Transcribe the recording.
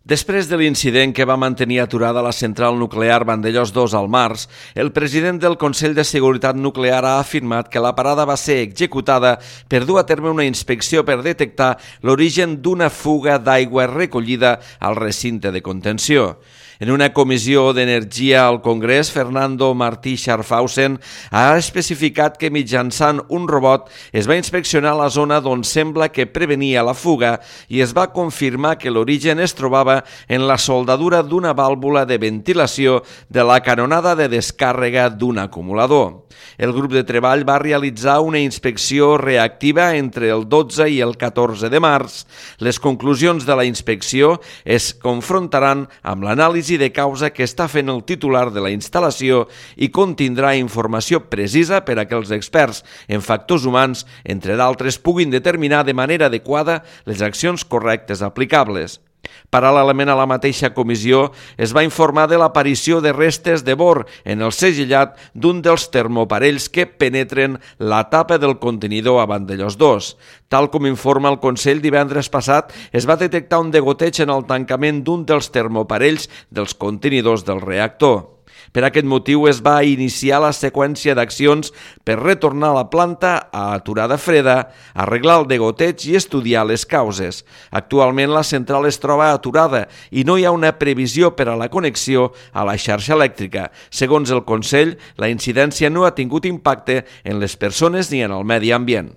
Després de l'incident que va mantenir aturada la central nuclear Vandellòs 2 al març, el president del Consell de Seguretat Nuclear ha afirmat que la parada va ser executada per dur a terme una inspecció per detectar l'origen d'una fuga d'aigua recollida al recinte de contenció. En una comissió d'energia al Congrés, Fernando Martí Scharfhausen ha especificat que mitjançant un robot es va inspeccionar la zona d'on sembla que prevenia la fuga i es va confirmar que l'origen es trobava en la soldadura d'una vàlvula de ventilació de la canonada de descàrrega d'un acumulador. El grup de treball va realitzar una inspecció reactiva entre el 12 i el 14 de març. Les conclusions de la inspecció es confrontaran amb l'anàlisi de causa que està fent el titular de la instal·lació i contindrà informació precisa per a que els experts en factors humans, entre d'altres, puguin determinar de manera adequada les accions correctes aplicables. Paral·lelament a la mateixa comissió, es va informar de l'aparició de restes de bor en el segellat d'un dels termoparells que penetren la tapa del contenidor a Vandellòs 2. Tal com informa el Consell, divendres passat es va detectar un degoteig en el tancament d'un dels termoparells dels contenidors del reactor. Per aquest motiu es va iniciar la seqüència d'accions per retornar la planta a aturada freda, arreglar el degoteig i estudiar les causes. Actualment la central es troba aturada i no hi ha una previsió per a la connexió a la xarxa elèctrica. Segons el Consell, la incidència no ha tingut impacte en les persones ni en el medi ambient.